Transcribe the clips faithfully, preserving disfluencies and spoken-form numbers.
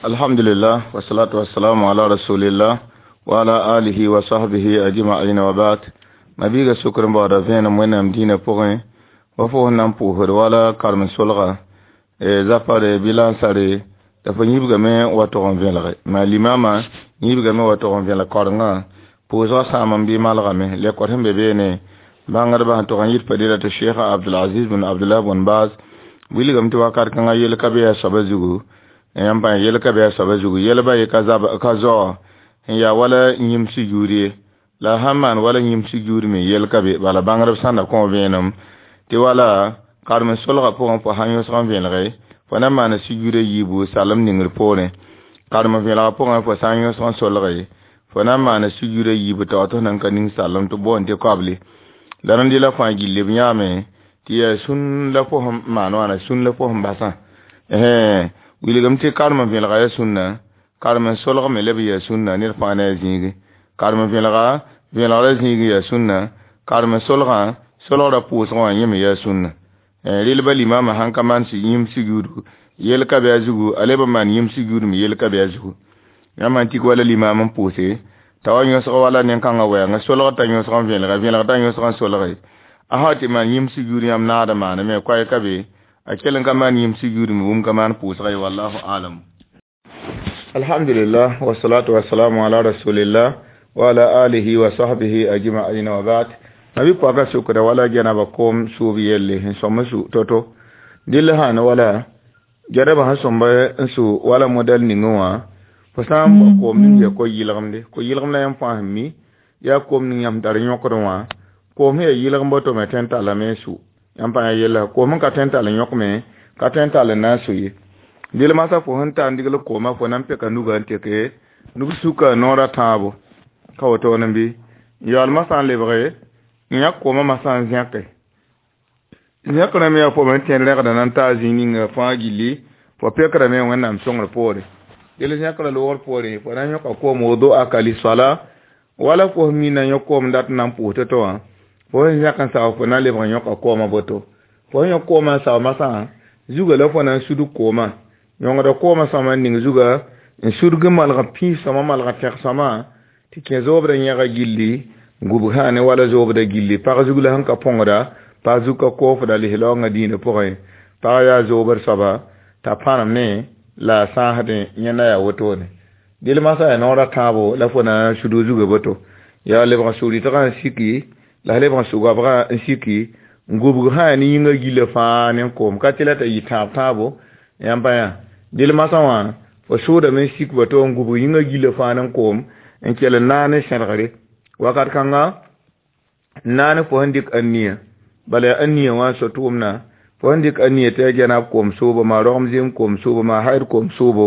Alhamdulillah wassalatu wassalamu ala rasulillah wa ala alihi wa sahbihi ajma'in wa ba'd. Mabiga sukr n baooda vẽenem wẽnnaam dĩinã pʋgẽ wa fo sẽn na n pʋʋsd wala karem-solga zapare bɩ lansare la fo yĩbgame wa tog n vẽlge maa limama yĩbgame wa tog n vẽlg kaorengã pʋʋsgã sãam n bɩ malgame lekor sẽn be beene bãngdbã sẽn tog n yit fadila tɩ Sheikh Abdulaziz bn Abdullah bn Baz wilgame tɩ wakat kãngã yel ka be a soaba zugu yãmb pa yel ka be a soaba zugu yelba ye ka zab ka zao n yaa wala yĩm sujuud ye la sãn maan wala yĩm sujuud me yel ka be bala bãngdb sãn da kõ vẽenem tɩ wala karem-solgã pʋgẽ fo sãn yõsg n vẽelge fo na n maana sujuud a yiibu salem ningr poorẽ karem vẽelgã pʋgẽ fo sã n yõsg n solge fo na n maana sujuud a yiibu tao tɩ f nan ka ning salem tɩ boond tɩ koable la rẽnd la fãa gilli b yãame tɩ yaa sũn la fo sẽn maan wãna sũn la fo sẽn basã wilgame tɩ karem vẽelga yaa sũnna karem solg me leb yaa sũnna ned fãa ne a zĩigi karem vẽelga vẽelgrã zĩig yaa sũnna karem solgã solgrã pʋʋsgã wã yẽ me yaa sũnna rel-ba limama sãn ka maan yĩm sujuudu yel ka be a zugu a leb n maan yĩm sujuud me yel ka be a zugu yãmb sãn tik wala limam n pʋʋse t'a wa yõsg wala nen-kãngã wɛɛngã solg t'a yõsg n vẽelga vẽelg t'a yõsg n solge a sã tɩ maan yĩm sujuud yãmb naad n maaname koɛɛ ka be a kell n ka maan yĩm sujuud me bũmb ka maan pʋʋsga ye wallahu alam. Alhamdulillah wassalatu wassalamu ala rasulillah wa ala alihi wa sahbihi ajma'in wa ba'd. Mabi pɔka sukra wala gɛnaba koom sʋʋb yelle n sõm n su to-to dɩl sãn wala gɛdba sẽn sõmb n su wala modɛl ningẽ wã fo sã n bao koom ning yaa ko-yɩlgemde ko-yɩlgem la yãmb fãa sẽn mi yaa koom ning yãmb tar yõkd wã koom sẽn yaa yɩlgem boto me tõe n tallame n su yãmb pa yella koom n ka tõe n tall n yõkme ka tõe n tall n na n su ye dɩl masã fo sẽn ta n digl koomã fo na n peka nugã n teke nug suka noorã tãabo ka wotone bɩ yaool masã n lebge n yãk koomã masã n zẽke zẽkrã me yaa fo me tẽed rẽgda na n taa zĩig ninga fãa gilli fo pekrame wẽnnaam sõngr poore dɩl zẽkrã loogr poore fo na n yõka koom wodoaka lisala wala fo sẽn mina yõ koom dat n na n pʋʋs to-to wã fo sẽn zẽk n sao fo na n lebg n yõka koomã boto fo sẽn yõk koomã n sao masã zuga la fo na n sudg koomã yõngda koomã sõma n ning zuga n sudg n malg pĩis sõma malg tẽg sõma tɩ kẽ zoobdã yẽga gilli gubg sã ne wala zoobda gilli pag zug la sẽn ka põngda pag zug ka koofda lislaoongã dĩinã pʋgẽ pag yaa zoobd soaba t'a pãnem ne la a sãasdẽ yẽnda yaa wotone dɩl masã yaa noorã tãabo la fo na n sudg zuga boto yaa lebg n sug-rɩtgã n siki la lebg n sug-goabgã n siki n gubg sã yaa ne yĩngã gillã fãa ne koom ka tɩ la t'a yɩ tãab tãabo yãmb pa yã dɩl masã wã fo sʋʋdame n sik boto n gubg yĩngã gillã fãa ne koom n kell n naag ne sẽdgre wakat kãnga n naag ne fo sẽn dɩk aniya bala yaa aniya wã n so tʋʋmdã fo sẽn dɩk aniya tɩ yaa gɛnab koom sʋʋbo maa rogem zem koom sʋʋbo maa haid koom sʋʋbo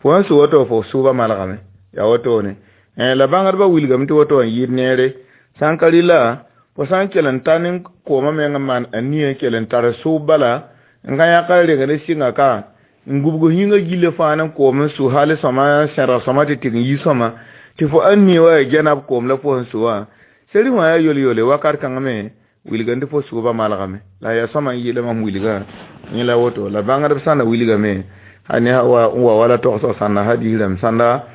fo sẽn sʋ woto fo sʋʋba malgame yaa wotone la bãngdbã wilgame tɩ woto n yɩɩd neere sã n ka rɩla fo sã n kell n ta ne koomã meng n maan aniya n kell n tar sʋʋb bala n ka yãk n reng ne sɩnga ka n gubg yĩngã gillã fãa ne koom n sʋ hal sõma sẽdg sõma tɩ tɩg n yi sõma tɩ fo aniya wa yaa gɛnab koom la fo sẽn sʋ wã seri wã yaa yol-yole wakat kãngã me wilgame tɩ fo sʋʋba malgame la yaa sõma n yɩɩla mam wilgã yẽ la woto la bãngdb sãnda wilgame a ne wa n wa wala togsg sãnda hadis rãmb sãnda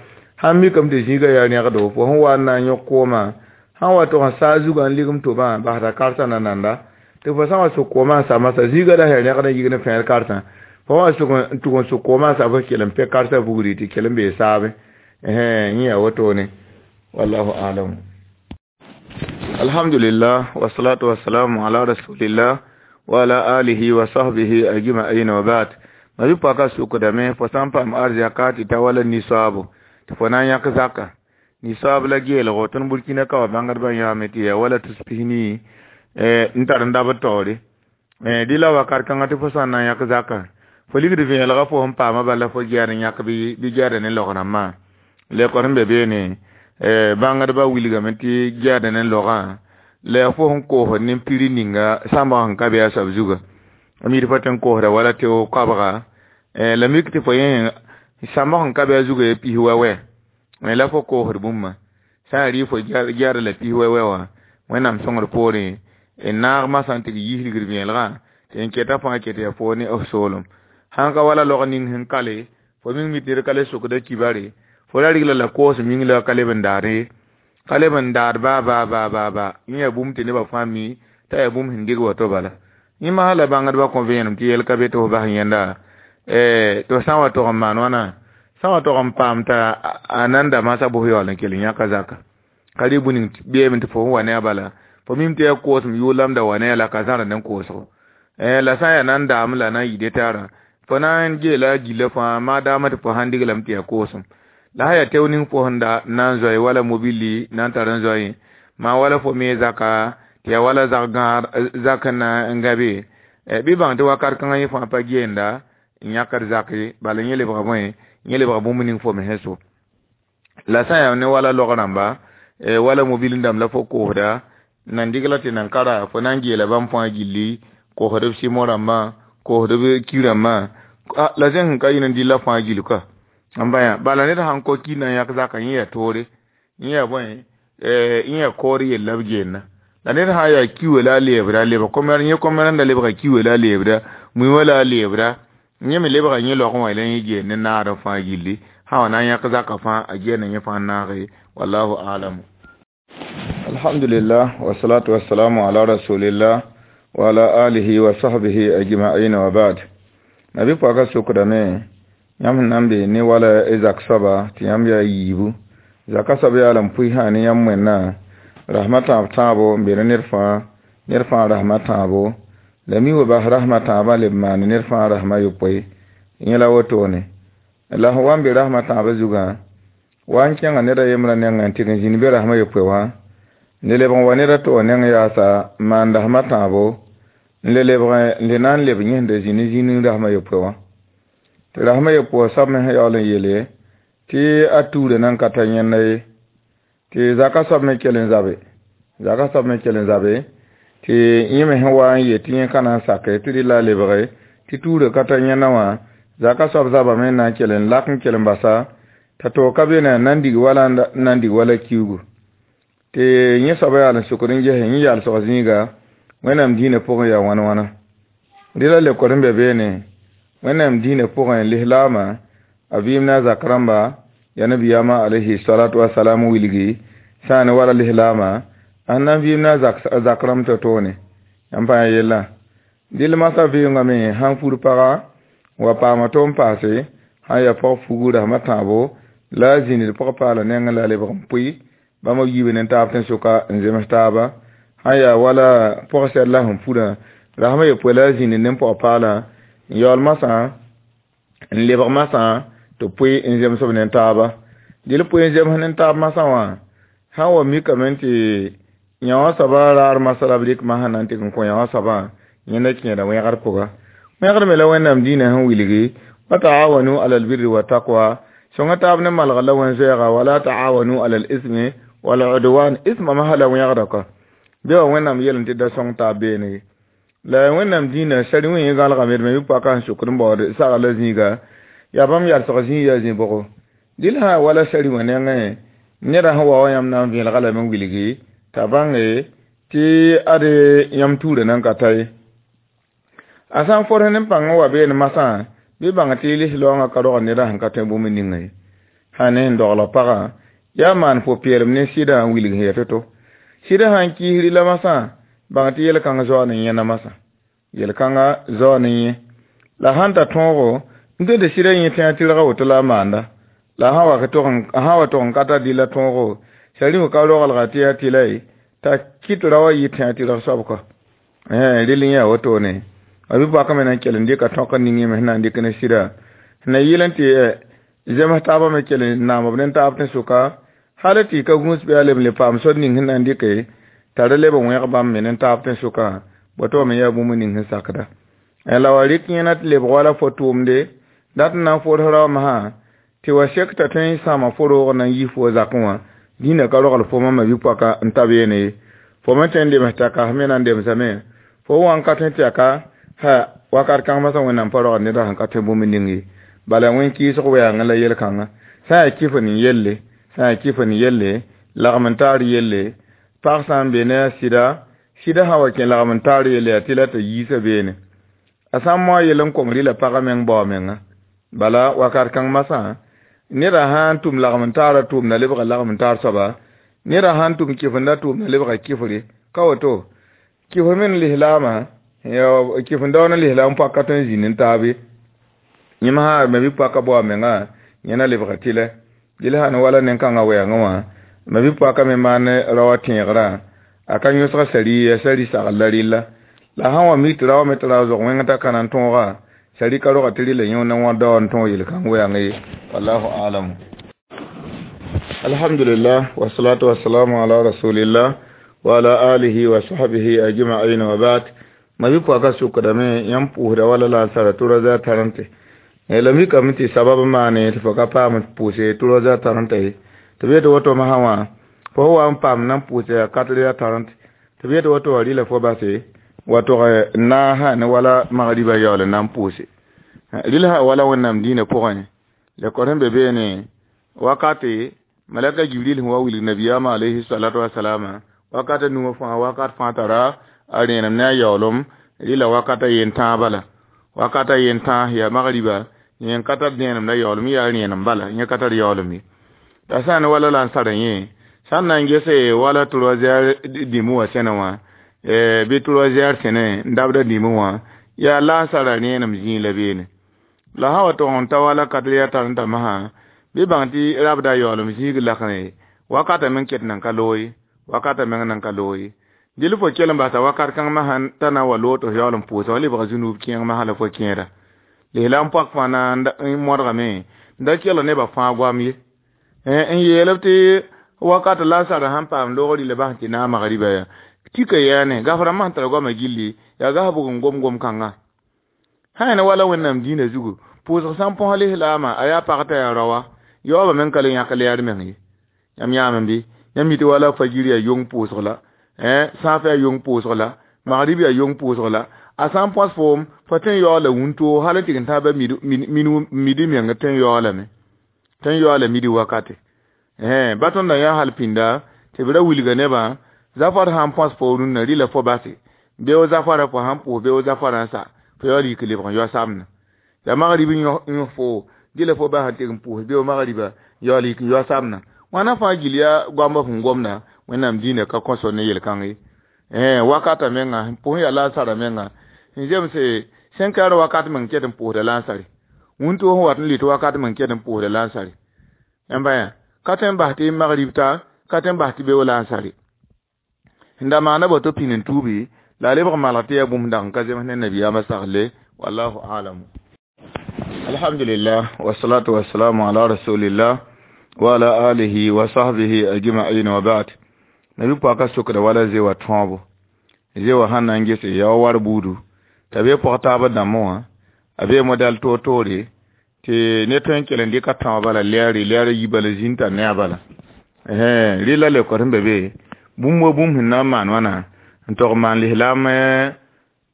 sãn mikame tɩ zĩigã yaa rẽgdo fo sẽn wa n na n yõk koomã sãn wa tog n saa zugã n ligem tobã basda karsã na nanda tɩ fo sã n wa sʋk koomã n sa masã zĩigã la yaa rẽgd n yig ne fẽed karsã fo wa sʋk n tʋg n sʋk koomã n sa fo kell n pɛ karsã bugri tɩ kell n bee saabe yẽ yaa wotone wallahu alam. Alhamdulillah wassalatu wassalamu ala rasulillah wa ala alihi wa sahbihi ajma'in wa ba'd. Mabi paka sukdame fo sãn paam arzɛka tɩ ta wala nisoaabo tɩ fo na n yãk zaka nisoaab la geelgo tõnd Burkina ka wa bãngdbã yãame tɩ yaa wala tus pis-nii n tar n dabd taoore dɩ la wakat kãngã tɩ fo sã n na n yãk zaka fo ligd vẽelgã fo sẽn paamã bala fo gɛɛd n yãk bɩ gɛɛda ne log-rãmbã lekor sẽn be beene bãngdbã wilgame tɩ gɛɛda ne logã la yaa fo sẽn koosd ne piri ninga sãmbg sẽn ka be a soab zuga a mid fo tɩ n koosda wala tɩ koabga la mik tɩ fo yẽ sãmbg sẽn ka be a zuga yaa pis wɛ-wɛ la fo koosd bũmba sã n rɩ fo gɛɛda la pis wɛ-wɛ wã wẽnnaam sõngr poorẽ n naag masã n tɩ yiis ligd vẽelgã tɩ n keta fãa ket yaa fo ne f soolem sãn ka wala log ning sẽn kale Fo ming mi tɩ ned ka le sokda kibare. Fo ra rigla la koos ming la ka leb n daad ye. Ka leb n daad baa baa baa baa baa. Yẽ yaa bũmb tɩ nebã fãa mi t'a yaa bũmb sẽn dig woto bala. Yẽ masã la bãngdbã kõ vẽenem tɩ yɛl ka be tɩ f bas yẽnda tɩ f sã n wa tog n maan wãna sã n wa tog n paam t'a a nan da masã bʋs yaool n kell n yãka zaka. Ka rɩ bũn ning beeme tɩ fo sẽn wa ne a bala fo mim tɩ yaa koosem yʋʋl da wa ne a la ka zãr ne koosgo. La sã n yaa nan daame la na n yɩ detaarã fo na n geela gillã fãa maa daamã tɩ fo sãn diglame tɩ yaa koosem. La sã yaa teo ning fo sẽn da na n zoe wala mobili na n tar n zoe maa wala fo me zaka tɩ yaa wala zak gãag zak na n gã be bɩ bãng tɩ wakat kãngã yẽ fãa pa geenda n yãkd zak ye bala yẽ lebga bõe yẽ lebga bũmb ning fo me sẽn so. La sã n yaa ne wala log rãmba wala mobil dãmb la fo koosda nan digla tɩ nan kara fo na n geela bãmb fãa gilli koosd b sɩmo rãmbã koosd b ki rãmbã la zẽ sẽn ka yĩn n dɩlla fãa gill ka n bã bala ned sãn ko ki na n yãk zaka yẽ yaa toore yẽ yaa bõe yẽ yaa kood yell la b geenna la ned sã n yaa kiwã la a leebda lebg kom yẽ kom rẽnda lebga kiwã la a leebda mui la a leebda yẽ me lebga yẽ laogẽ wã la yẽ geen ne naadẽ fãa gilli sã wa na n yãk zaka fãa a geena yẽ fãa naage wallahu alamu. Alhamdulillah wa salatu wa salamu ala rasulillah wa ala alihi wa sahbihi ajma'in wa ba'd. Nabi pɔka sokdame yãmb sẽn na n be ne wala zak soaba tɩ yãmb yaa yiibu zaka soab yaa la n pʋɩ sã ne yãmb wẽnnaam rasmã tãab tãabo n be ne ned fãa ned fãa rasmã tãabo la mi wa bas rasmã tãabã leb maan ned fãa rasmã yopoe yẽ la wotone la sẽn wa n be rasmã tãabã zugã wa n kẽnga ned a yembrã nengẽ n tɩg n zĩnd be rasmã yopoe wã n le lebg n wa ned a to neng yaasa n maan rasmã tãabo n le lebg n le na n leb yẽsda zĩni zĩni rasmã yopoe wã tɩ rasmã yopoe soab me sẽn yaool n yeele tɩ a tuurã nan ka ta yẽnda ye tɩ zaka soab me kell n zabe zaka soab me kell n zabe tɩ yẽ me sẽn wa n yet tɩ yẽ ka na n sake tɩ rɩla a lebge tɩ tuurã ka ta yẽnda wã zaka soab zabame n na n kell n lak n kell n basa t'a toog ka be na n dig wala n dig wala kiugu tɩ yẽ soaba yaal n sokd n ges yẽ yaal sog zĩiga Wẽnnaam dĩinã pʋgẽ yaa wãn wãna rɩla leokd n be beene Wẽnnaam dĩinã pʋgẽ lislaamã a vɩɩm na a zak rãmba yaa nabiyaamã alayhi salatu wasalam wilgi sã n ne wala lislaamã a sẽn na n vɩɩm na a zak rãmb to-toone yãmb pa yã yellã dɩl masã vɩʋngame sãn fur paga wa paama to n paase sã n yaa pag fugu rasmã tãabo la a zĩnd pag paala nengẽ la a lebg n pʋɩ bãmb b yiibe ne taab tẽn-soka n zems taaba sã n yaa wala pɔg-sɛd la sẽn furã rasmã yopoe la a zĩnd ne pɔg-paalã n yaool masã n lebg masã tɩ pʋɩ n zems b ne taaba dɩl pʋɩ n zems ne taab masã wã sã n wa mikame tɩ yã wã soabã raar masã la b rɩk masã na n tɩg n kõ yã wã soabã yẽnda kẽeda wẽgd pʋga wẽgd me la Wẽnnaam dĩinã sẽn wilgi wa taawanu ala albirri wa taqwa sõnga taab ne malgr la wẽn-zoɛɛga wala taawanu ala al-ismi wal udwan isma masã la wẽgda ka bɩ wa Wẽnnaam yel n tɩ da sõng taab beene la Wẽnnaam dĩinã sari wẽ yẽ gãlgame d me bɩ paka sẽn sokd n baood sagr la zĩiga yaa bãmb yalsg zĩig yaa zĩ-bʋgo dɩl sã wala sari wã nengẽ neda sẽn wa wã yãmb na n vẽelga lame n wilgi t'a bãnge tɩ ade yãmb tuurã nan ka ta ye a sã n fors ne pãng n wa beene masã bɩ bãng tɩ lislaoongã ka rogd neda sẽn ka tõe bũmb ninga ye sã ne sẽn dogl pagã yaa maan pʋ-peelem ne sɩdã n wilg sẽn yaa to-to sɩdã sã n kiisri la masã bãng tɩ yel-kãng zaoa ne yẽna masã yel-kãngã zaoa ne yẽ la sãn ta tõogo n tõe tɩ sɩdã yẽ tẽa tɩrga woto la a maanda la sã wa tog n ka tar dɩlla tõogo sari ka roglga tɩ yaa tɩla ye t'a kɩt ra wa yɩ tẽa tɩrg soab kɔ rel n yaa wotone a bɩ paka me na n kell n dɩka tõk n ning yẽ me sẽn na n dɩk ne sɩda sẽn na yɩl n tɩ zems taabã me kell n naam b ne taab tẽn-sʋka hal tɩ ka gũus bɩ a leb n le paam sor ning sẽn na n dɩke t'a ra leb n wẽg bãmb me ne taab tẽn-sʋkã woto me yaa bũmb ning sẽn sakda la wa rɩk yẽna tɩ lebg wala fo tʋʋmde dat n na n fors rao masã tɩ wa sek t'a tõe n sãama fo roog na n yi fo zakẽ wã dĩinã ka rogl fo mama bɩ pɔka n ta beene ye fo me tõe n lems t'a kas me na n lemsame fo wa n ka tõe tɩ yaa ha wakat kãng masã Wẽnnaam pa rogd neda sẽn ka tõe bũmb ning ye bala wẽn kɩɩsg wɛɛngẽ la yel-kãngã sã n yaa kɩf n yelle sã n yaa kɩf n yelle lagm n taar yelle pag sã n be ne a sɩda sɩda sã wa kẽ lagm n taar yelle yaa tɩ la t'a yiisa beene a sã n moa yel n kong rɩla pagã meng bao menga Bala wakat kãng masã neda sã n tʋm lagm n taara tʋʋmda lebga lagm n taar soaba, neda sã n tʋm kɩfenda tʋʋmda lebga kɩfre. Ka woto kɩfr me n lislaamã kɩfendao ne lislaam paka tõe n zĩnd n taabe. Yẽm sã me bɩ paka bao a menga yẽ na lebga tɩlɛ. Dɩl sã ne wala nen-kãngã wɛɛngẽ wã me bɩ paka me maan raoã tẽegrã a ka yõsg sari ya sari sagl la rɩlla. La sã n wa mik tɩ raoã me tara zog wẽng t'a ka na n tõoga sari ka roga tɩ rɩla yẽ ne wã dao n tõog yel-kãng wɛɛng ye. Wallahu a'lamu. Alhamdulillah wa salatu wa salamu ala rasulillah wa ala alihi wa sahbihi ajma'in wa ba'd. Ma bi paka sukdame yãmb pʋʋsda wala la sara trois heures trente. La mikame tɩ sabab maane tɩ fo ka paam pʋʋse trois heures trente ye. Tɩ b yetɩ woto masã wã fo wa n paam na n pʋʋse yaa quatre heures trente. Tɩ b yetɩ woto wã rɩla fo base wa tog naasã ne wala magriba yaool n na n pʋʋse. Rɩl sã wala Wẽnnaam dĩinã pʋgẽ la kõ sẽn be beene wakate malaka Jibril sẽn wa wilg nabiyaamã alayhi salatu wasalama wakat a nuwã fãa wakat fãa tara a rẽenem ne a yaoolem rɩla wakat a yen tãag bala. Wakat a yen tãag yaa magriba yẽ ka tar dẽenem la yaoolem yaa rẽenem bala yẽ ka tar yaoolem ye. T'a sã n wala la n sara yẽ sã n na n gese wala trois heures dĩmẽ wã sẽne wã bɩ trois heures sẽne n dabda dĩmẽ wã yaa la n sara rẽenem zĩig la beene. La sã wa tog n ta wala quatre heures trente masã bɩ bãng tɩ rabda yaoolem zĩig lakẽ wakata meng ket nan ka loog ye, wakata meng nan ka loog ye. Dɩl fo kell n basa wakat kãng masã t'a na n wa loog tɩ f yaool n pʋʋsa wa lebga zũnub kẽeng masã la fo kẽeda. Lislaam pɔk fãa na n modgame n da kell nebã fãa goam ye. N yeel b tɩ wakat la sara sãn paam loog rɩla bas tɩ naag magriba ya tika yaane gafrã masã tara goamã gilli yaa gas bʋg n gom gom-kãngã. Sã ne wala Wẽnnaam dĩinã zugu pʋʋsg sã n põs lislaamã a yaa pag t'a yaa raoa yaoobã meng ka le yãk lɛɛr meng ye. Yãmb yãame bɩ yãmb mi tɩ wala fajir yaa yong pʋʋsg la, sãaf yaa yong pʋʋsg la, magrib yaa yong pʋʋsg la. A sã n põs foom fo tõe n yaoola wũntoo hal n tɩg n tãab midi meng tõe n yaoolame tõe n yaoola midi wakate. Ba tõnd n yaa hal pĩnda tɩ b ra wilga nebã zafar sã n põs fo rũnnã rɩla fo base beo zafara fo sãn pʋʋs beo zafara n sa fo yaool yik lebg n yao samna. Ya magrib n yõ fo dɩla fo bas n tɩg n pʋʋs beo magriba yaool yik n yao samna. Wãna fãa gill yaa goambã sẽn gomda Wẽnnaam dĩinã ka kõso ne yel-kãng ye. Wakata menga pʋsẽ yaa lansara menga n zemse cinq heures wakat meng ket n pʋʋsda lansare. Wũntoo sẽn wat n lɩt wakat meng ket n pʋʋsda lansare. Yãmba yã ka tõe n bas tɩ magrib ta ka tõe n bas tɩ beo lansare. N da maana boto pĩnd n tuubi la a lebg malg tɩ yaa bũmb dag n ka zems ne nabiyaamã sagle. Wallahu a'lamu. Alhamdulillah wa salatu wa salamu ala rasulillah wa ala alihi wa sahbihi ajma'in wa ba'd. Nabi pɔka sokda wala zewa tõobo zewa sãn na n gese yaa war buudu t'a be pɔg taabã dãmbẽ wã a bee modɛl toor-toore tɩ ne tõe n kell n dɩka tãoog bala lɛɛre lɛɛrã yi bala zĩnd t'a ne a bala. Rɩla le kɔt sẽn be be bũmb wa bũmb sẽn na n maan wãna n tog maan lislaam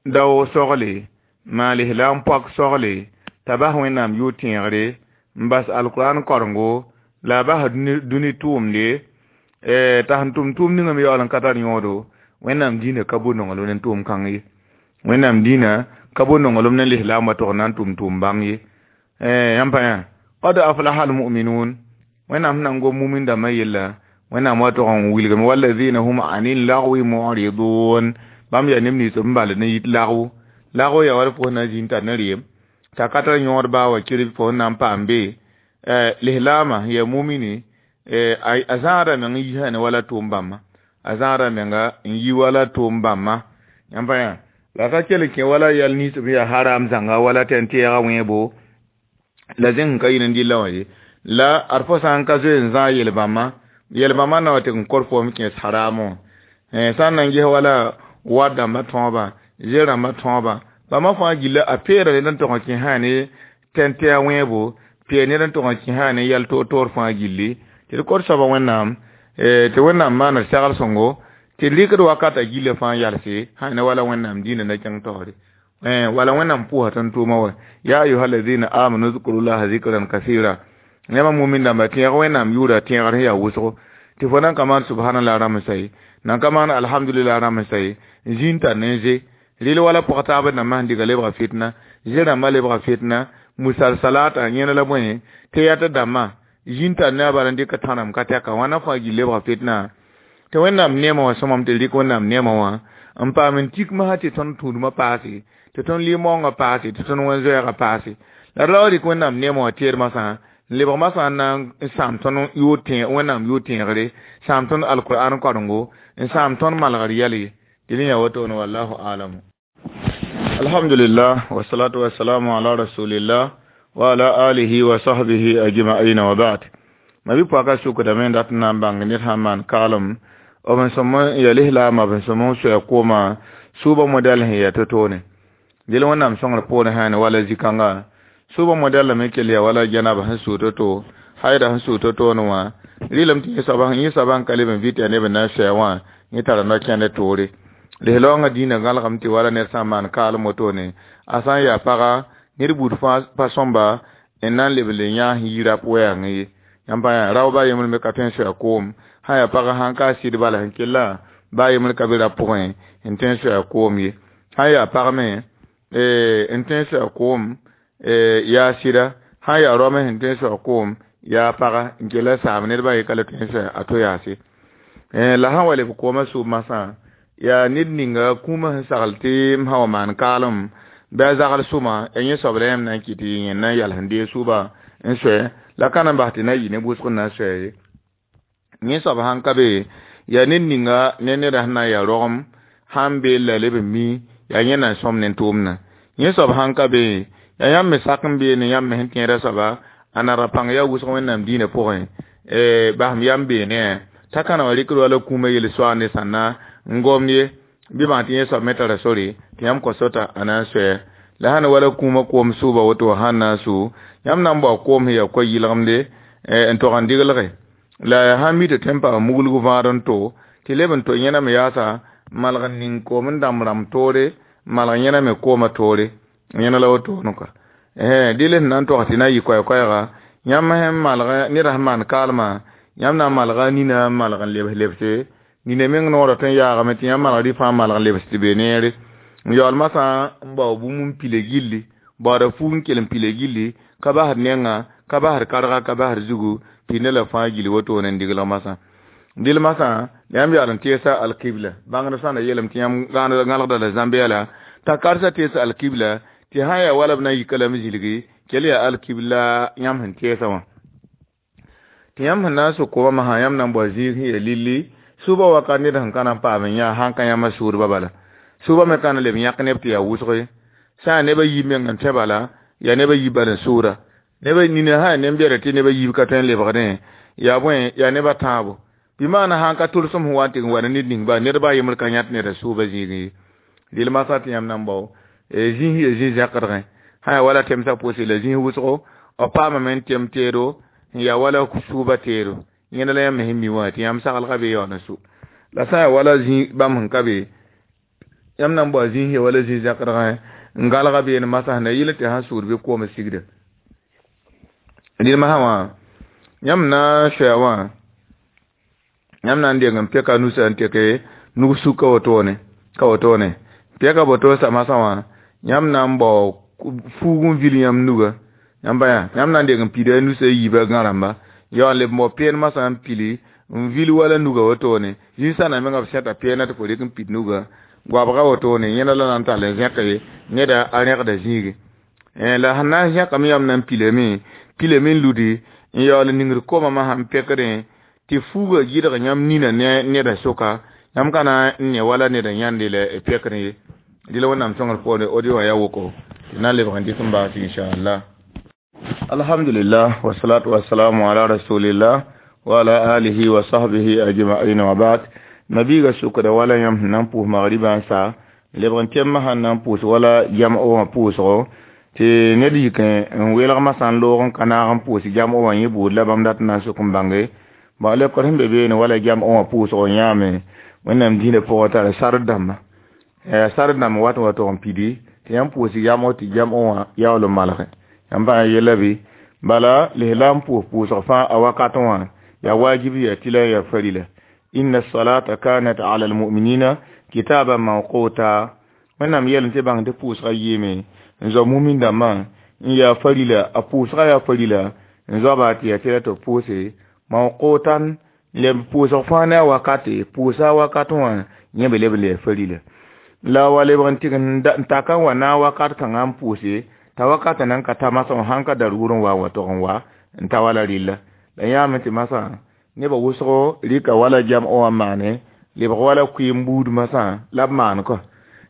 dao sogle maan lislaam pɔk sogle t'a bas Wẽnnaam yʋʋr tẽegre n bas alkurãn korengo la a bas dũni tʋʋmde t'a sẽn tʋm tʋʋm ninga me yaool n ka tar yõodo. Wẽnnaam dĩinã ka bo nonglem ne tʋʋm kãng ye. Wẽnnaam dĩinã ka bo nonglem ne lislaamã tog na n tʋm tʋʋm bãng ye. Yãmb pa yã qad aflaha almu'minun Wẽnnaam sẽn na n gom mumin dãmbã yella Wẽnnaam wa tog n wilgame walladina hum anil lagwi mu'ridun bãmb yaa neb nins b bal ne yit lagw lagw yaa wala fo na zĩnd tar ne reem t'a ka tar yõod baa wa kirb fo na n paam be lislaamã yaa mumini a zãada meng n yisã ne wala tʋʋm bãmba a zãada menga n yi wala tʋʋm bãmba. Yãmb pa yã la ka kell n kẽ wala yɛl nins b yaa haram zãnga wala tɛn tɛɛga wẽebo la zẽng ka yɩl n dɩlla wã ye la ad fo sã n ka zoe n zãag yel-bãmba yel-bãmba na wa tɩ n kor foom kẽes haramõ. Sã n na n ges wala war dãmbã tõobã zẽ-rãmbã tõobã bãmba fãa gilla a peera ned n tog n kẽ sã ne tɛn tɛa wẽebo peer ned n tog n kẽ sã ne yɛl toor-toor fãa gilli tɩ d kor soaba Wẽnnaam tɩ Wẽnnaam maana segl sõngo tɩ d rɩkd wakata gilla fãa yalse sã ne wala Wẽnnaam dĩinã na kẽng taoore. Wala Wẽnnaam pʋʋsa tõnd tʋʋma wa ya ayuha alladina amanu zkurullaha zikran kasira yãmba mumin dãmba tẽeg Wẽnnaam yʋʋra tẽegr sẽn yaa wʋsgo tɩ fo nan ka maan subhanallah rãmsa ye nan ka maan alhamdulillah rãmsa ye zĩnd tar ne n ze rɩl wala pɔg taabã dãmbã sẽn dɩga lebga fitna zẽ-rãmbã lebga fitna Musalsalata yẽna la bõe tɩ yaa tɩ dãmbã zĩn tar ne a bala n dɩk tãnam ka tɛka wãna fãa gill lebga fitna tɩ Wẽnnaam neemã wã sõmam tɩ rɩk Wẽnnaam neemã wã n paam n tik masã tɩ tõnd tũudmã paase tɩ tõnd lɩ-maoongã paase tɩ tõnd wẽn-zoɛɛgã paase la d ra wa rɩk Wẽnnaam neemã wã teed masã n lebg masã n na n sãam tõnd yʋʋr tẽ Wẽnnaam yʋʋr tẽegre sãam tõnd alkur'an karengo n sãam tõnd malgr yɛl ye tɩ rẽ yaa wotone wallahu alamu. Alhamdulillah wassalatu wassalamu ala rasulillah wa ala alihi wa sahbihi ajma'in wa ba'd. Ma bi pɔka sukdame n dat n na n bãng ned sãn maan kaalem b n sõm n ya lislaamã b n sõm n soa kooma sʋʋbã modɛl sẽn ya to-toone dɩl Wẽnnaam sõngr poorẽ sã ne wala zĩ-kãnga sʋʋbã modɛl me kell ya wala jɛnaba sẽn sʋʋ to-to haida sẽn sʋʋ to-toone wã rɩlem tɩ yẽ soabã sẽn ka leb n vɩt yaa neb n na n soa wã yẽ tara no-kẽnd toore lislaoongã dĩinã gãlgame tɩ wala ned sã n maan kaalem wotone a sã n yaa paga ned buud fãa pa sõmba n na n leb n le yãas yirã wɛɛngẽ ye yãmb pa yaa rao ba yembr me ka tõe n soa koom sã yaa pagã sãn ka a sɩd bala sẽn kella ba yembr ka be ra pʋgẽ n tõe n soa koom ye sã yaa pag me n tõe n soa koom yaa sɩda sã yaa rao me sẽn tõe n soa koom yaa paga n kella saam ned ba ye ka le tõe n soa a to yaase la sã wa leb koomã sʋʋb masã yaa ned ninga kũumã sẽn sagl tɩ m sã wa maan kaalem bɩ a zagl sʋma ya yẽ soab la yãmb na n kɩt tɩ yẽ na n yals n deeg sʋʋba n soɛ la ka na n bas tɩ na yɩ ne wʋsg n na n soɛ ye yẽ soab sãn ka be yaa ned ninga ne neda sẽn na n yaa rogem sãn be la leb n mi yaa yẽ na n sõm ne tʋʋmdã yẽ soab sãn ka be yaa yãmb me sak n beene yãmb me sẽn tẽeda soaba a nara pãng yaa wʋsg Wẽnnaam dĩinã pʋgẽ basem yam beene t'a ka na wa rɩkd wala kũumã yel soaag ne sãnna n gomd ye bɩ bãng tɩ yẽ soab me tara sore tɩ yãmb kõ sota a na n soɛ la sãn wala kũumã koom sʋʋba woto sãn na n sʋ yãmb na n bao koom sẽn yaa koa-yɩlgemde n tog n diglge la sãn mi tɩ tõe n paam muglg vãad n to tɩ leb n to yẽna me yaasa malg n ning koom n dãmb rãmb toore malg yẽna me koomã toore yẽna la wotone kɔa dɩl sẽn na n tog tɩ na n yɩ koɛɛ-koɛɛga yãmb sẽn malg neda sẽn maan kaalmã yãmb na n malga nina n malg n lebs lebse nina meng noorã tõe n yaagame tɩ yãmb malg rɩ fãa malg n lebs tɩ be neere n yaool masã n bao bũmb n pile gilli baooda fuug n kell n pile gilli ka basd nenga ka basd karga ka basd zugu pidna la fãa gilli wotone n diglg masã dɩl masã la yãmb yaool n teesa alkibla bãngd sã na yeelame tɩ yãmb gãlgda la zãmb yɛla t'a karsa teesa alkibla tɩ sã n yaa wala b na n yika lame zilgi kell yaa alkibla yãmb sẽn teesa wã tɩ yãmb sẽn na n sʋk koomã masã yãmb na n bao zĩig sẽn yaa lilli sʋʋbã wakat ned sẽn ka na n paam n yã sãn ka yãmba sʋʋdbã bala sʋʋbã me ka na leb yãk neb tɩ yaa wʋsge sã yaa neb a yiib meng n tõe bala yaa neb a yiib bal n sʋʋda neb nina sã yaa nem-bɛda tɩ neb a yiib ka tõe n lebgdẽ yaa bõe yaa neb a tãabo bɩ maana sãn ka tʋlsem sẽn wa n tɩ n wa ne ned ning ba ned ba yembr ka yãt neda sʋʋbã zĩigẽ ye dɩl masã tɩ yãmb na n bao zĩis yaa zĩ-zẽkdgẽ sã yaa wala temsã pʋʋse la zĩis wʋsgo b paamame n tem teedo n yaa wala sʋʋba teedo yẽna la yãmb me sẽn mi wã tɩ yãmb saglga be yaool n sʋ la sã yaa wala zĩ bãmb sẽn ka be yãmb na n bao zĩis yaa wala zĩ-zẽkdgẽ n galga beene masã sẽn na yɩl tɩ sãn sʋʋd bɩ koom sigda dɩl masã wã yãmb na n soa wã yãmb na n deng n peka nusa n teke nug suk ka wotone ka wotone peka boto sa masã wã yãmb na n bao fuug n vil yãmb nuga yãmb ba yã yãmb na n deng n pida nusa yiibã gã rãmba yaool n leb n bao peen masã n pili n vil wala nuga wotone zĩ-sãna menga b sẽta peena tɩ fo rɩk n pid nuga goabga wotone yẽna la na n tall n zẽke neda a rẽgda zĩige la sẽn na n zẽkame yãmb na n pilame pilame n ludi n yaool n ningd koomã masã n pekdẽ tɩ fuugã gɩdg yãmb nina ne neda sʋka yãmb ka na n ne wala neda yãnde la pekdẽ ye dɩ la Wẽnnaam sõngr poore audio wã yaa woko tɩ na n lebg n dɩk n baas inchallah. Alhamdulillah wassalatu wassalamu ala rasulillah wa ala alihi wa sahbihi ajma'in wa ba'd. Nabiga sukda wala yãmb sẽn na n pʋʋs magribã n sa lebg n tẽm sãn na n pʋʋs wala jam'o wã pʋʋsgo tɩ ned yik n welg masã n loog n ka naag n pʋʋs jam'o wã yẽ buud la bãmb dat n na n sʋk n bãnge ba lebkd sẽn be beene wala jam'o wã pʋʋsgo yãame Wẽnnaam dĩinã pʋgã tara sard dãmba sard dãmb wat n wa tog n pidi tɩ yãmb pʋʋs jam'o tɩ jam'o wã yaool n malge yãmb bã yella bɩ bala lislaam pʋʋs pʋʋsg fãa a wakat wã yaa wajib yaa tɩla yaa farila inna salata kanat ala almu'minina kitaban mawquta. Wẽnnaam yeelame tɩ bãng tɩ pʋʋsgã yɩɩme n zao mumin dãmbã n yaa farila a pʋʋsgã yaa farila n zoaba tɩ yaa tɩ tɩ b pʋʋse mawqutan leb pʋʋsg fãa ne a wakate pʋʋsa wakat wã yẽ be leb n le farila la wa lebg n tɩg n taka n wa na wakat kãngã n pʋʋse t'a wakatã nan ka ta masã sãn ka daruur n wa n wa tog n wa n ta wala rɩlla la yãame tɩ masã nebã wʋsgo rɩka wala jam wã n maane lebg wala kʋɩɩm buud masã la b maan kɔ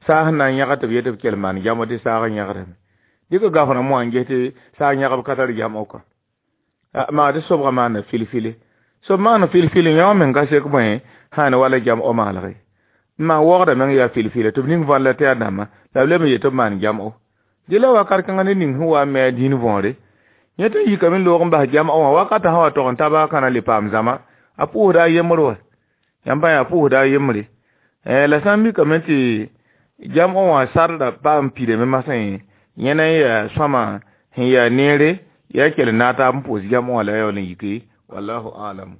saas n na n yãgd tɩ b yet b kell maan jamo tɩ saag n yãgdame dɩka gaf rãmb wã n ges tɩ saag yãgb ka tar jamo kɔ maa tɩ sobgã maanda fil-file sob maana fil-fil yã wã meng ka sek bõe sãn wala jam o maalge n maan waoogdã meng yaa fil-fila tɩ b ning vãn la tɩ yaa dãmba la b leb n yet tɩ b maan jam-o dɩ la wakat kãngã ne ning sẽn wa n me a dĩin võore yẽ tɩ n yikame n loog n bas jam wã wakatã sã wa tog n ta baa kãna le paam zãma a pʋʋsda a yembr wa yãmb pa yaa pʋʋsda a yembre la sã n mikame tɩ jam wã sarda paam pidame masã yẽ na n yaa sõama sẽn yaa neere yaa kell n na taab n pʋʋs jam wã la yaool n yiki wallahu alam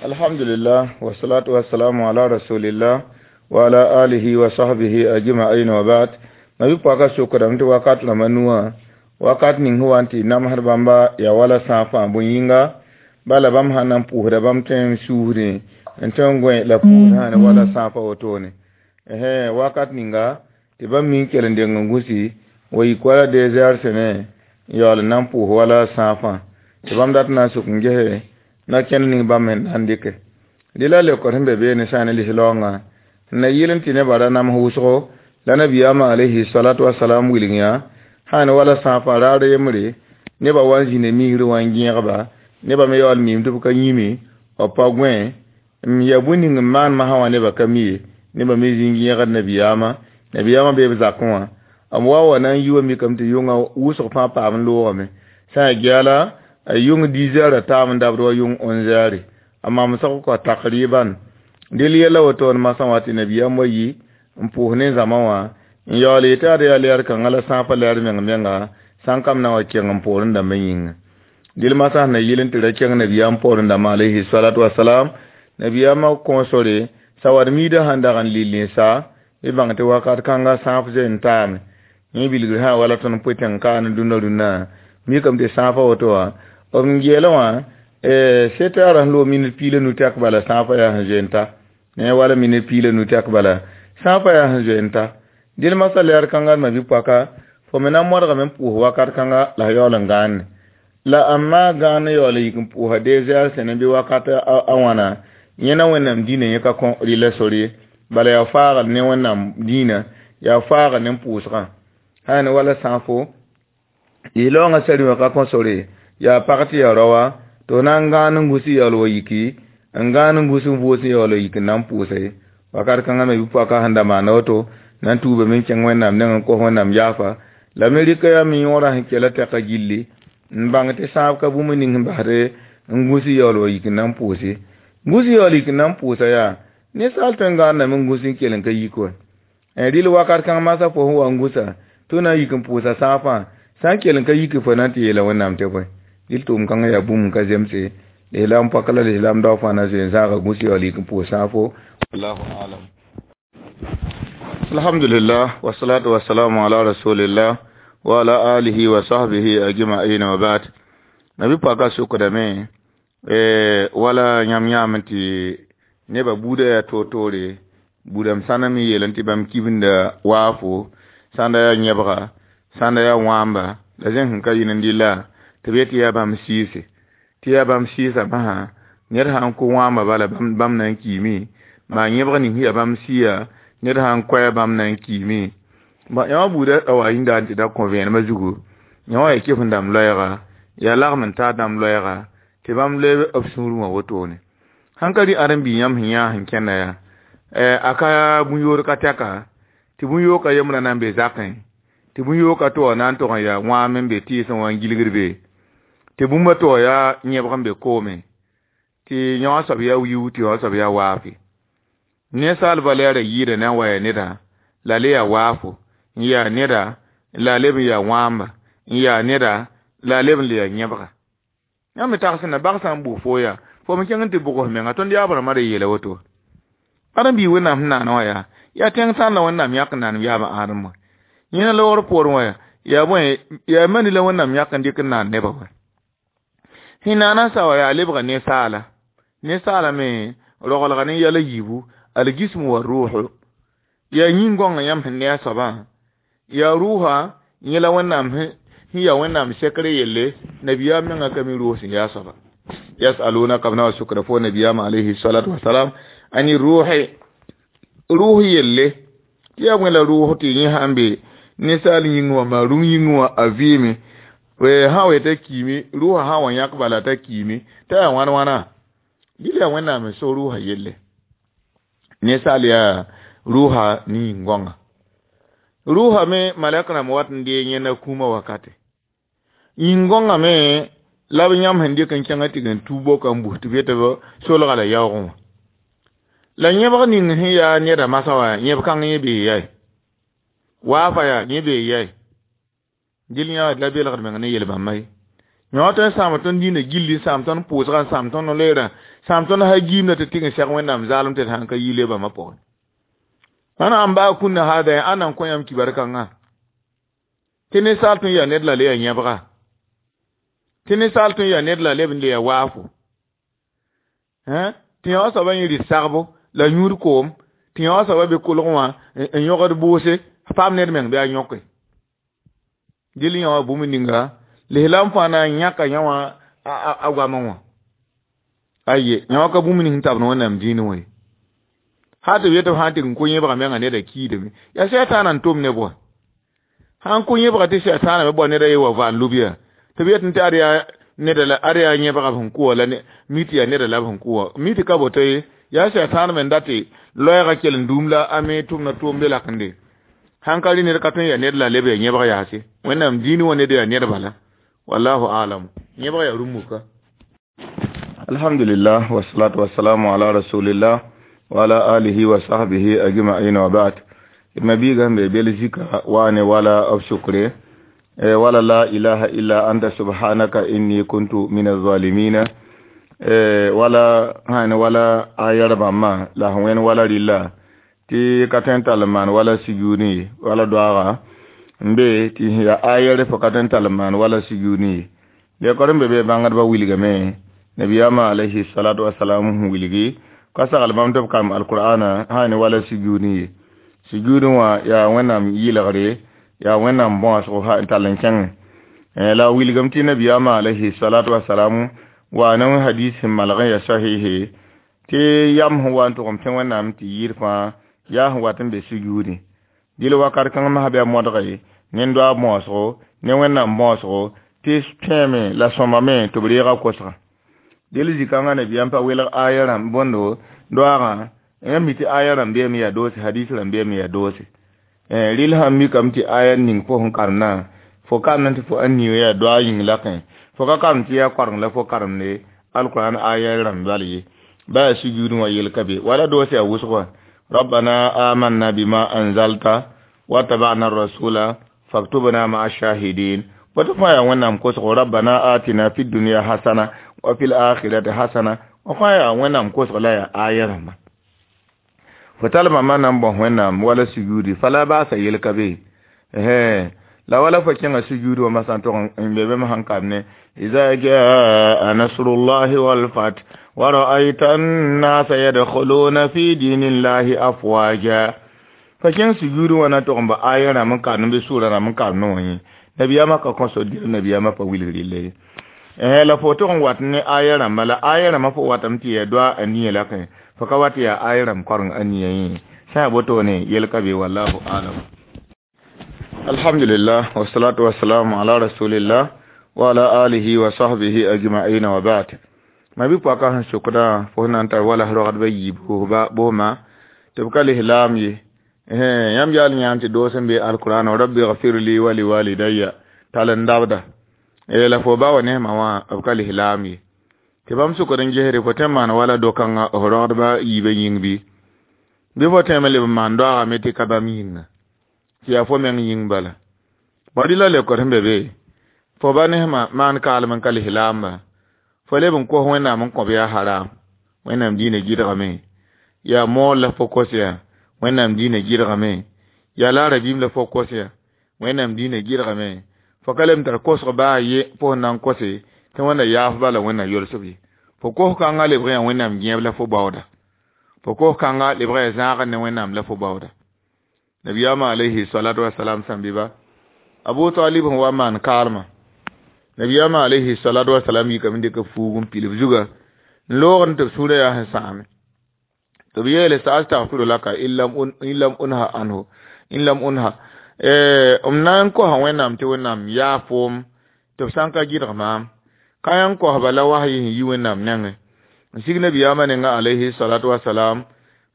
alhamdulillah wasalatu wassalamu ala rasulillah wa ala alihi wa sahbihi ajma'in wa ba'd mabi pɔka sokdame tɩ wakat rãmba nuwã wakat ning sẽn wa n tɩ namsd bãmba yaa wala sãafã bõe-yĩnga bala bãmb sãn na n pʋʋsda bãmb tõe n suusdẽ n tõe n gõe la pʋʋsd sã ne wala sãafã wotone wakat ninga tɩ bãmb mi n kell n deng n gũsi wa yik wala deux heures sẽne n yaool n na n pʋʋs wala sãafã tɩ bãmb dat n na n sʋk n gese na kẽnd ning bãmb sẽn na n dɩke dɩ la leokd sẽn be beene sã ne lislaoongã n na yɩl n tɩ nebã ra nams wʋsgo la nabiyaamã alayhi salatu wasalam wilg yã sãn wala sãafã raar yembre nebã wa n zĩnda misr wã n gẽegba nebã me yaool miim tɩ b ka yĩme b pa gõe n ya bũn ning n maan masã wã nebã ka mi ye nebã me zĩ n gẽegd nabiyaamã nabiyaamã bee b zakẽ wã b wa wa na n yi wa mikame tɩ yʋngã wʋsg fãa paam n loogame sã n geala a yʋng dix heures a taam n dabd wa yʋng onze heures a mamsg kɔ takriban dɩl yɛla wotone masã wã tɩ nabiyaam wa yi n pʋʋs ne zãma wã n yaool yetɩ ad yaa lɛɛr kãngã la sãafã lɛɛr meng menga sãn kam na wa kẽng n poorẽ dãmbã yĩnga dɩl masã sẽn na yɩl n tɩ ra kẽng nabiyaam poorẽ dãmbã alayhi salatu wasalam nabiyaamã kõ sore sawad miidã sãn dag n lill n sa b bãng tɩ wakat kãnga sãaf zoe n taame yẽ bilgr sã wala tõnd pʋ tẽng kaane dũnna rũnnã mikame tɩ sãafã woto wã b n geelã wã sept heures sẽn loog minit piig la nu tɛk bala sãafã yaa sẽn zoe n ta ne wala minit piig la nu tɛk bala sãafã yaa sẽn zoe n ta dɩl masã lɛɛr kãnga ma bi-poaka fo me na n modgame n pʋʋs wakat kãnga la f yaool n gãande la amma gãan yaool n yik n pʋʋsa deux heures sẽne bɩ wakat a wãna yẽ na wẽnnaam dĩinã yẽ ka kõ rɩla sor ye bala yaa faagl ne wẽnnaam dĩinã yaa faagl ne pʋʋsgã sã ne wala sãafo lislaoongã sari wã ka kõ sore yaa pag tɩ yaa raoa tɩ f na n gãan n gũs n yaool wa yiki n gãan n gũs n vʋʋs n yaool wa yik n na n pʋʋse wakat kãngã me bi-poaka sẽn da maana woto na n tuubame n kẽng wẽnnaam neng n kos wẽnnaam yaafa la me rɩka yaa me yõorã sẽn kela tɛka gilli n bãng tɩ sãab ka bũmb ning sẽn basd n gũs n yaool wa yik n na n pʋʋse gũs yaool yik n na n pʋʋsa yaa ninsaal tõe n gãandame n gũs n kell n ka yik wa rɩl wakat kãng masã fo sẽn wa n gũsa tɩ na n yik n pʋʋsa sãafã sã n kell n ka yik fo na n tɩ yeela wẽnnaam tɩ bõe dɩl tʋʋm kãngã yaa bũmb n ka zemse lislaam pɔka la lislaam dao fãa na zoe n zãaga gũs yaool yik n pʋʋs sãafo wallahu alam alhamdulillah wasalatu wassalamu ala rasulillah wa ala alihi wa sahbihi ajma'in wa ba'd nabi pɔka sokdame wala yãmb yãam tɩ nebã buudã yaa toor-toore buudame sãnda me yeel tɩ bãmb kibinda waafo sãnda yaa yẽbga sãnda yaa wãamba la zẽn sẽn ka yɩl n dɩlla tɩ b yet tɩ yaa bãmb sɩɩse tɩ yaa bãmb sɩɩsã basã ned sã n kʋ wãamba bala bãmb na n kiime maa yẽbg ning sẽn yaa bãmb sɩɩa ned sã n koɛɛ bãmb na n kiime yã wã buudã a wa yĩnda n tɩ da kõ vẽenemã zugu yã wã yaa kɩf n dãmb loɛɛga yaa lagm n taa dãmb loɛɛga tɩ bãmb loe b sũurẽ wã wotone sãn ka rɩ ãdem-biig yãmb sẽn yã sẽn kẽnda yaa a ka bũn-yood ka tɛka tɩ bũn-yoogã yembrã na n be zakẽ tɩ bũn-yoogã tɩ wa na n tog n yaa wãam n be tɩɩsẽ wã n gilgd be tɩ bũmba tɩ wa yaa yẽbg n be koome tɩ yã wã soab yaa wiu tɩ yã wã soab yaa waafe ninsaalbã lɛɛra yɩɩda na n wa yaa neda la le yaa waafo n yaa neda la leb n yaa wãamba n yaa neda la leb n le yaa yẽbga yãmb me tags na bag sã n bʋg fo yaa fo me kẽng n tɩ bʋgs menga tõnd yaab rãmbã ra yeela woto ãdem-biig wẽnnaam sẽn naana wã yaa yaa tẽng sãn la wẽnnaam yãk n nanem yaabã ãadem wã yẽna loogr poorẽ wã yaa Yaa bõe yaa mani la Wẽnnaam yãk n dɩk n naan nebã wã sẽn naana sa wa yaa lebga ninsaala ninsaala me roglga ne yɛl a yiibu algism wa ruuhu yaa yĩn-gõngã yãmb sẽn ne a soabã yaa rʋʋsa yẽ la Wẽnnaam sẽn yaa Wẽnnaam sekr yelle nabiyaam mengã ka mi rʋʋs sẽn yaa soaba yasalunaka b na wa sukra fo nabiyaam alayhi salatu wasalam ani rʋʋse rʋʋs yelle tɩ yaa bõe la rʋʋs tɩ yẽ sãn be ninsaal yĩng wã maa rũm yĩng wã a vɩɩme sã wa t'a kiime rʋʋsã sã n wa yãk bala t'a kiime t'a yaa wãn wãna dɩl yaa Wẽnnaam n so rʋʋsã yelle ninsaal yaa rʋʋsa ne yĩn-gõnga rʋʋsa me malɛk rãmb wat n dee yẽnda kũumã wakate yĩn-gõngã me la b yãmb sẽn dɩk n kẽngã tɩ n tu boka n bus tɩ b yetɩ b solga la yaoogẽ wã la yẽbg ning sẽn yaa neda masã wã yẽb kãng yẽ bee yae waafa yaa yẽ bee yae dɩl yã la belgd meng ne yel-bãmba ye yõ tõe n sãam tõnd dĩinã gilli n sãam tõnd pʋʋsga n sãam tõnd loeerã sãam tõnd ha giimda tɩ tɩg n sɛg Wẽnnaam zaalem tɩ d sãn ka yi le bãmbã pʋgẽ ãna n baa kũnna haada ãnna n kõ yãmb kibar kãngã tɩ ninsaal tõe n yaa ned la le yaa yẽbga tɩ ninsaal tõe n yaa ned la leb n le yaa waafo tɩ yã wã soabã yẽ rɩt sagbo la yũud koom tɩ yã wã soabã be kolgẽ wã n yõgd bʋʋse paam ned meng bɩ a yõke dɩl yã wã bũmb ninga lislaam fãa na n yãka yã wã a goamẽ wã aye yã wã ka bũmb ning sẽn tabd Wẽnnaam dĩinẽ wã ye sã tɩ b yetɩ b sã n tɩ n kõ yẽbga menga neda kiidame yaa sɛtaana n tʋm neb wã sã n kõ yẽbga tɩ sɛtaana me bao neda ye wa vaam lub yaa tɩ b yetɩ tɩ ad yaa neda la ad yaa yẽbga b sẽn kʋ wã la mi tɩ yaa neda la b sẽn kʋ wã mi tɩ ka boto ye yaa sɛtaan me n dat tɩ loɛɛgã kell n duum la a me tʋmda tʋʋmde lakende sãn ka rɩ ned ka tõe n yaa ned la leb yaa yẽbg yaase Wẽnnaam dĩinẽ wã ned yaa ned bala wallahu alam yẽbg yaa rũm-muka alhamdulillah wassalatu wassalamu ala rasulillah wa ala alihi wa sahbihi ajma'in wa ba'd mabiga be belzika wa ne wala of shukre wala la ilaha illa anta subhanaka inni kuntu min az-zalimin wala hani wala ayar bamma la wen wala lilla ti katen talman wala sujuni wala du'a mbe ti ya ayar fo katen talman wala sujuni le korum be be bangar ba wilga me nabiyama alayhi salatu wassalamu wilgi ka sagal bãmb tɩ b kam alqur'ana sã ne wala sujud ye sujud wã yaa Wẽnnaam yɩlgre yaa Wẽnnaam bõosgo n tall n kẽngẽ la wilgame tɩ nabiyaamã alayhi salatu wasalamu wa ne hadis sẽn malg n yaa sahihe tɩ yam sẽn wa n tʋgem tẽ Wẽnnaam tɩ yɩɩd fãa yaa sẽn wat n be sujudẽ dɩl wakat kãng masã bɩ a modge ne doaab bõosgo ne Wẽnnaam bõosgo tɩ tẽeme la sõmame tɩ b reega kosga dɩl zĩ-kãngã nabiyaam pa welg aya rãmb bõndo doaagã yãmb mi tɩ aya rãmb beeme yaa doose hadis rãmb beeme yaa doose rɩl sãn mikame tɩ aya ning fo sẽn karemdã fo karem tɩ fo ãn niiga yaa doa yĩng lakẽ fo ka karem tɩ yaa koareng la fo karemde alquran aya rãmb bal ye ba yaa sujudẽ wã yel ka be wala doose yaa wʋsg wã rabbana amanna bima anzalta watabana rasula faktubna maa shahidin woto fãa yaa Wẽnnaam kosgo rabbana atina fi dunya hasana wa fil akhirati hasana wa fãa yaa Wẽnnaam kosg la yaa aya rãmba fo talma ma nan bõs Wẽnnaam wala sujudi fala baasa yel ka be la wala fo kẽnga sujudi wã masã tʋg n be bãmb sãn kam ne iza jaa nasrullahi walfath wa ra'ayta annasa yadkhuluna fi dinillahi afwaja fa kẽng sujudi wã na tʋg n ba aya rãmb n karem bɩ sʋʋra rãmb n karem wã yẽ nabiyama ka kõso dɩl nabiyama pa wilg rɩlla ye la fo tʋg n wat ne aya rãmba la aya rãmbã fo watame tɩ yaa doa a nia lakẽ fo ka wat yaa aya rãmb koreng a nia yẽ sã yaa wotone yel ka be wallahu alam alhamdulillah wassalatu wassalamu ala rasulillah wa ala alihi wa sahbihi ajma'in wa ba'd ma bi pɔka sẽn sokdã fo sẽn na n tar wala rogdbã yiib booma tɩ b ka lislaam ye yãmb yaal yãam tɩ doos n be alqur'an rabbi gfir li wa liwalidayya tall n dabda la fo ba wa nesmã wã b ka lislaam ye tɩ bãmb sʋkd n gesre fo tõe n maan wala do-kãngã f rogdbã yiibã yĩng bɩ bɩ fo tõeme leb n maan doagame tɩ ka bãmb yĩnga tɩ yaa fo meng yĩng bala bõe la leokd sẽn be be fo ba nesmã maan kaalem n ka lislaamba fo leb n kos Wẽnnaam n kõb yaa haram Wẽnnaam diinã gɩdgame yaa moor la fo kos yaa Wẽnnaam diinã gɩdgame yaa laara biim la fo kos yaa Wẽnnaam dĩinã gɩdgame fo ka lem tar kosg baa ye fo sẽn na n kose tɩ wẽnda yaaf bala wẽnna yolsb ye fo kos kãngã lebg yaa wẽnnaam gẽeb la fo baooda fo kos kãngã lebg yaa zãagr ne wẽnnaam la fo baooda nabiyaamã alayhi salatu wasalam sẽn bɩ ba abu talib sẽn wa n maan kaalmã nabiyaamã alayhi salatu wasalam yikame n dɩka fuug n pilb zuga n loogd tɩ b sũurã yaa sẽn sãame tɩ b yeele sa astaghfiru laka in lam unha anhu in lam unha m na n kosa wẽnnaam tɩ wẽnnaam yaa foom tɩ b sã n ka gɩdg maam ka yã n kosba la wasyi sẽn yi wẽnnaam nengẽ n sig nabiyaamã nenga alayhi salatu wasalam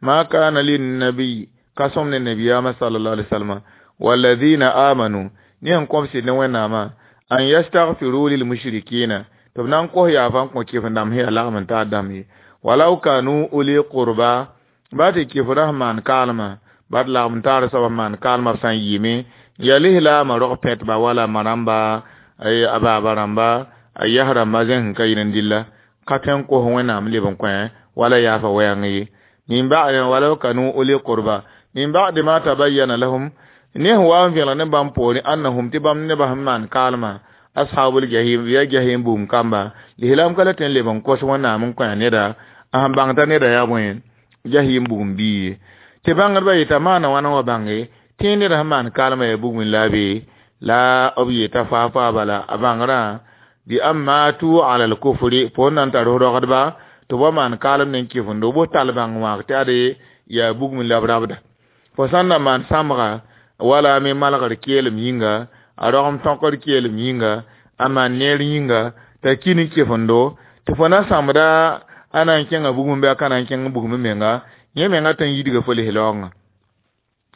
ma kana linnabiy ka sõm ne nabiyaamã sallallahu alaihi wasallam walladhina amanu ne sẽn kõb sɩd ne wẽnnaamã an yastaghfiru lil mushrikina tɩ b na n kos yaafa n kõ kɩf-dãmb sẽn yaa lagm n taar dãmb ye walau kanu uli qurba ba tɩ kɩf-rã sẽn maan kaalmã bat lagm n taar soab sẽn maan kaalmã b sã n yɩɩme ya lislaamã rog pẽtba wala ma-rãmba a baaba rãmba a yas rãmba zẽn sẽn ka yɩl n dɩlla ka tõe n kos wẽnnaam leb n kõ wala yaafa wɛɛng ye min ba'd walau kanu uli qurba min ba'di ma tabayyana lahum ne sẽn wa n vẽlg ne bãmb poorẽ annahum tɩ bãmb nebã sẽn maan kaalmã ashabul jahim ya jahim bugum kamba lislaam ka la tõe n leb n kos wẽnnaam n kõ neda a sẽn bãng t'a neda yaa bõe jahim bugum bii ye tɩ bãngdbã yeta maana wãna wã bãnge tẽ ned sẽn maan kaalmã yaa bugum la be la b yeta faa-faa bala a bãngrã bi an matu ala al-kufri fo n na n tar rogdba tɩ b wa maan kaalem ne n kɩfendo bo tall bãng wãag tɩ ade yaa bugum la b rabda fo sã n na maan sãmbga wala me malgr keelem yĩnga a rogem tõkr keelem yĩnga a maan neer yĩnga t'a ki ne kɩfendo tɩ fo na sãmbda a na n kẽnga bugum bɩ a ka na n kẽng bugum menga yẽ menga tõe n yidga fo lis-laoongã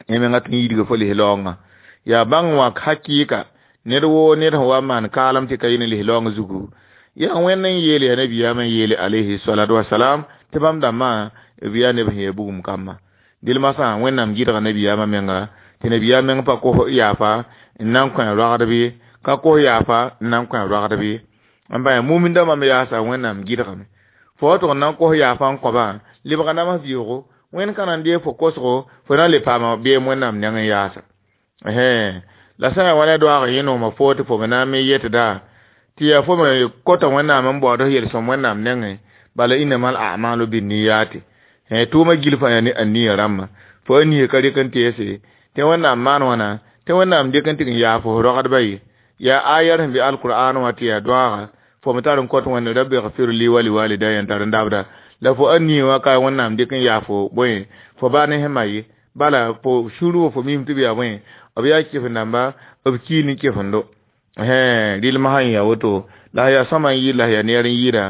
yẽ menga tõe n yidga fo lis-laoongã yaa bãng wãk hakɩɩka ned woo ned sẽn wa n maan kaalem tɩ ka yɩ ne lis-laoong zugu yaa wẽnd n yeele yaa nabiyaamã n yeele alayhi salatu wasalam tɩ bãmb dãmbã b yaa neb sẽn yaa bugum kambã dɩl masã wẽnnaam gɩdga nabiyaamã menga tɩ nabiyaam meng pa kos yaafa n na n kõ rogdb ye ka kos yaafa n na n kõ rogdb ye n bã mumin dãmbã me yaasa wẽnnaam gɩdgame fo wa tʋg n na n kos yaafa n kõba lebga nams vɩʋʋgo wẽnd ka na n deeg fo kosgo fo na n le paama beem wẽnnaam neng n yaasa la sã n yaa wa ne doaag yẽ-noomã fo tɩ fo me na n me yetda tɩ yaa fo me kota wẽnnaam n baood f yel-sõm wẽnnaam nengẽ bala innamal a'malu binniyati tʋʋmã gil fãa yaa ne aniya rãmbã fo a nia ka rɩk n teese tɩ wẽnnaam maan wãna tɩ wẽnnaam dɩk n tɩg n yaa fo rogdbã ye yaa ayar sẽn be alqur'an wã tɩ yaa doaaga fo me tar n kõt wẽnd rabbi gfir li wa liwalidaya n tar n dabda la fo a nia wã ka wẽnnaam dɩk n yaa fo bõe fo baa ne sẽn ma ye bala fo sũur wã fo mim tɩ b yaa bõe b yaa kɩf-dãmba b kii ne kɩfendo rɩlmã sẽn yaa woto la yaa sõma n yɩɩd la yaa neer n yɩɩda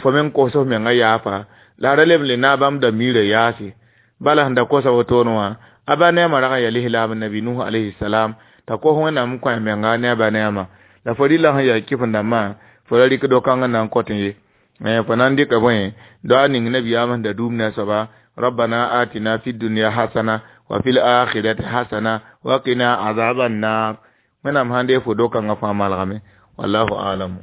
fo me n kos f menga yaafa la ra leb n le naag bãmb da miirã yaase bala sẽn da kosa wotone wã a ba neemã rag n yaa lislaam nabi nuh alayhi salam t'a kos wẽnnaam n kõ a menga ne a ba neemã la fo rɩla sẽn yaa kɩf-dãmbã fo ra rɩk do-kãng n na n kõt ye fo na n dɩka bõe doa ning nabiyaam sẽn da duum ne a soaba rabbana atina fi dunya hasana wa fil akhirati hasana wa qina azaban nar wẽnnaam sãn dee fo do-kãngã fãa malgame wallahu alamu.